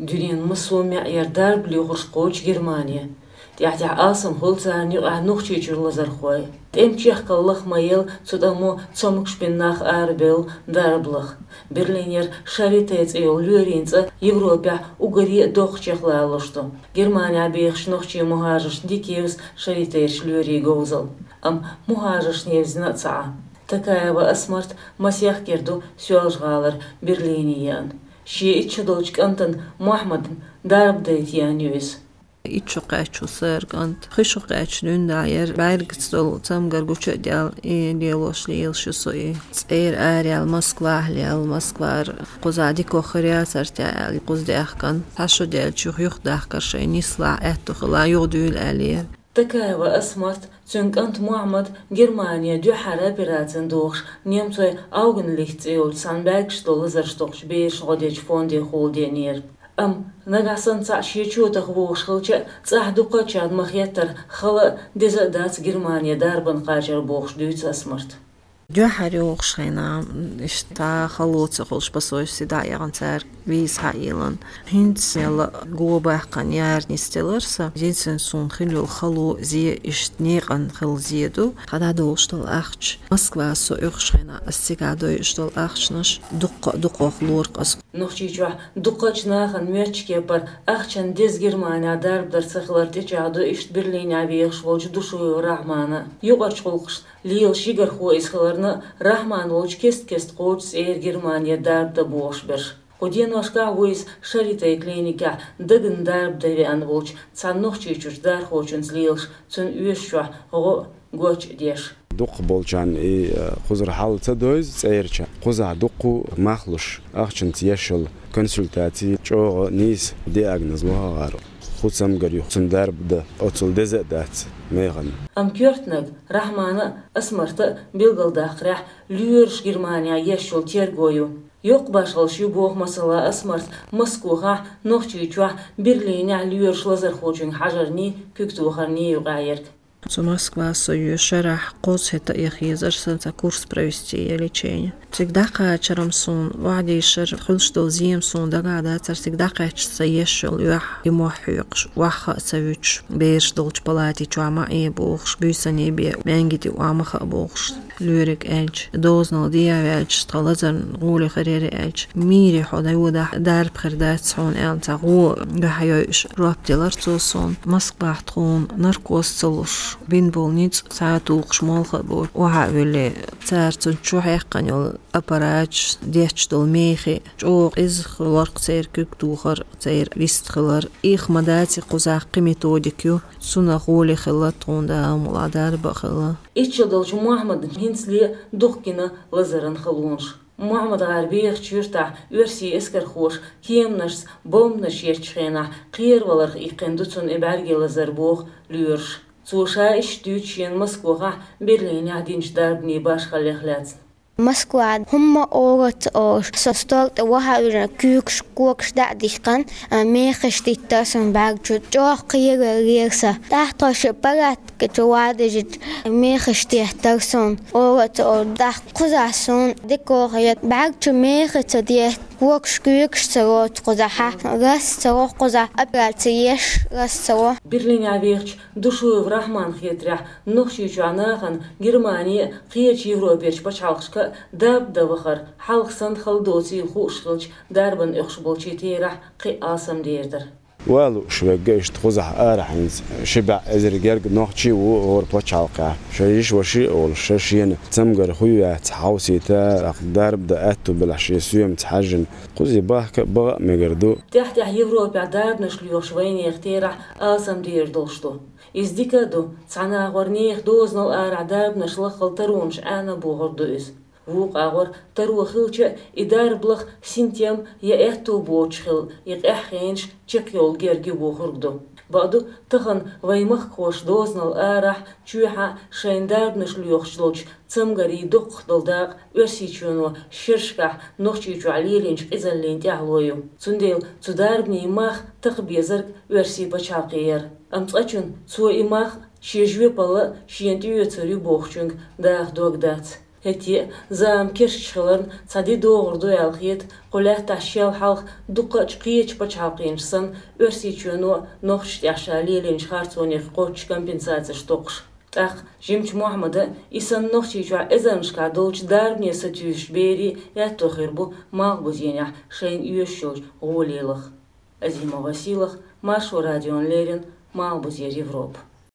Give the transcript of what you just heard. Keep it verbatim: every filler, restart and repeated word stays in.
Дуьненан массо а маьӀӀера дарба лоьхурш кхочу Германе. ТӀаьхь-тӀаьхьа алсам хуьлу царна юкъахь Нохчийчуьра лазархой. ТӀеман чехкаллах ма елла, цу тӀамо цомгуш бина нах арабевлла дарба лаха. Берлинера Шарите цӀе йолу лоьрийн цӀа Европехь уггаре а доккхачех лоруш ду. Германехь бехачу нохчийн мухӀажаршна дика евза Шаритерчу лоьрийн говзалла. Амма мухӀажаршна евзина а ца Ӏа. Такаева Асмарт масех кӀира ду Соьлжа-ГӀалара Берлине еана. Шен итт шо долчу кӀантана Мохьмадна дарба дайта еана ю иза. Итт шо кхаьчна ву сан кӀант. Пхи шо кхаьчна дуьйна дӀа яра, бӀаьргаца долу цамгар гучу а даьлла, и лелош лелаш ю со и. ЦӀера араяьлла Москвахь лелла, Москвара кхузахь дика хир яцара те аьлла, кхуза даьхкина. Цхьа шо даьлча юха юхадахкара шайн нислахь аьтто хилла, юхадуьйла аьллера. Такаева Асмарт, цуьнан кӀант Мохьмад Германе дуьххьара операцина дохуш, немцойн Аугенлихт цӀе йолчу цхьана бӀаьргаш долу лазарш дохучу берашна гӀо дечу фонде хьулдеънера. Амма нагахь санна цхьаъ шен чотах вогӀуш хилча а, цӀахь дуккхачарна ма-хеттара хала а, деза а дац Германе дарбан кхачар бохуш дуьйцу Асмарта. Дуьххьара йогӀуш хенахь, иштта хало ца хуьлуш, посольстве дӀа а яхна, цара виза схьаеллина. ХӀинца мелла го баьккхина яра нисделира сан. Единственное, суна хилла йолу хало, зе, иштта некъан хилла зе ду. Тхан дӀадолуш долу ахча. Москва со оьхуш хенахь, ас цигахь дойуш долу ахчанаш дуккха а дукхох лору ас. Нохчийчохь дуккхачу нахана моьттучу кепара ахчанна деза Германехь дарба дар ца хилар тӀечӀагӀдо иштта Берлинехь вехаш волчу Душуев Рахьмана. Юкъарчу гӀуллакхашна лелаш йигархо иза хиларна а, Рахьман волчу кест-кеста кхочу цӀера Германе дарба дан бохуш берш. Кху деношкахь ву иза Шаритей клиникехь дагна дарба дан веана волчу цхьана нохчийчуьрчу дархочуьнца лелаш, цуьнан оьшучохь гӀо а, гоч а деш. Дукхахболчарна и, э, кхузара хьал ца девза цӀерачу. Кхузахь дуккха а мах луш, ахчанца еш йолу консультаци чӀогӀа нийса диагноз лохагӀара. Кху цамгар ю, цунна дарба дан оццул деза а дац механа. Амма коьртаниг Рахьмана а, Асмарта а билгалдаккхарехь, лоьраш Германехь еш йолу терго ю. Йоккха башхаллаш ю боху, масала, Асмарта Москвахь, Нохчийчохь, Берлинехь лоьраш лазархочуьнга хьажарний, куьг тохарний юкъахь ерг. Цу Москва со йоьшу шарахь кхузахь хӀетта а яха езара сан цхьа курс провести я лечение. Цига дӀакхачарна суна охьадийшар, хуьлуш долу зема суна дагахь дацара, цига дӀакхаьчча сан еш йолу оьхьа и мохь хьоькхуш, охьа а ца вуьтуш, бераш долчу палати чохь ма Ӏе бохуш, буьйсанна бен, маьнгиди охьа ма хаа бохуш. Лоьриг аьлча, дозанал дехьа ваьлча, тхан лазарна гӀоле хир яра аьлча, мийре хьо дӀайодахь, дарба хир дац хьуна аьлла, цхьа гӀо дуьхьа йойуш, жоп делара цо суна. Москвахь тхуна наркоз ца луш, бина болу ницкъ схьа тухуш молха а боцуш, охьа а вуьллий, цара цунна чу хьаькхна йолу аппараташ, детташ долу мехий, чӀогӀа къиза хиларх церан куьг тухар, церан вист хилар. Их ма дац, и кхузахь кхин методик ю, цунах гӀоле хилла тхуна, Дала мукъ лахь, дарба а хилла. Итт шо долчу Мохьмадна хӀинцале дукха гина лазаран халонаш. Мохьмад-ГӀар бехачу юьртахь оьрсийн эскархоша кеманашца бомбанаш еттачу хенахь кхераваларх иккхина ду цунна и бӀаьргийн лазар, боху лоьраша. Цо ша иштта дуьйцу шена Москвахь, Берлинехь динчу дарбанийн башхаллех лаьцна. Москвахь хӀумма а ора ца олуш, со стол тӀе охьа а вуьжна, куьйгаш, когаш дӀа а дихкина, а, мехаш диттара суна бӀаьрга чу, чӀогӀа кхеравелира сан. ТӀаккха тхо шен палаткан чу вадижича, мехаш деттара суна, ора а ца олуш, тӀаккха кхузахь суна дика хир яра, бӀаьрга чу мехаш ца детта, когаш, куьйгаш ца лоцу кхузахь, рас ца ло кхузахь, операци еш рас ца ло. Берлинехь вехачу Душуев Рахьманна хетарехь, Нохчийчохь нахана Германе а, кхечу Европерчу пачхьалкхашка а дарба дан вахар хьалха санна хала доцийла хууш хилча, дарбан оьхуш болчийн терахь кхин а алсамдер дара. Валуш верг иштта кхузахь арахь хӀинца ши бӀе эзар герга нохчи а ву хӀора пачхьалкхехь. Шайн йиша-ваша а волуш, шен шена цамгар хӀуьттуш хьовсийта, тӀаккха дарба дан аьтто белахь, шен соьмаца хьаьжжина. Кхузахь бахка а, баха а мегар ду. ТӀаьхь-тӀаьхьа Европехь дарбанаш лоьхуш вайнехан терахь алсамдер долуш ду. Иза дика а ду, цхьана агӀор нехан дозанал арахь дарбанаш лаххал таронаш Ӏена а бохург ду иза. Вукху агӀор таро хилча а, и дарба лаха синтем я аьтто боцуш хилла, и къаьхьа хенаш чекхйолу герга ю бохург ду. Бакъду, тахана вайн махкахоша дозанал арахь, чоьхьа шайна дарбанаш лоьхуш долчу цамгарийн доккхах долу дакъа Оьрсийчоьно шерашкахь Нохчийчохь лелийначу къизаллина тӀаьхьало ю. Цундела цу дарбанийн мах такха безарг оьрсийн пачхьалкхе яра. Амма цкъачунна цо и мах шен жоьпалла а шена тӀеоьцур ю бохучуьнга даха дог дац. ХӀетте а зама керчаш хиларна цхьа ди догӀур ду аьлла хета, кху лаьттахь шел хьалха дуккхачу кхечу пачхьалкхенаша санна, Оьрсийчоьно а Нохчийчохь ша лелийначу харцонех кхоччуш компенсацеш токхуш. ТӀаккха Жимачу Мохьмада а, и санна Нохчийчохь эзарнашкахь долчу дарбане сатуьйсучу берийн а аьтто хир бу малхбузенехь шайна оьшуш йолчу гӀоле лаха. Азимова Сийлаха, Маршо радиона леррина, Малхбузера Европа.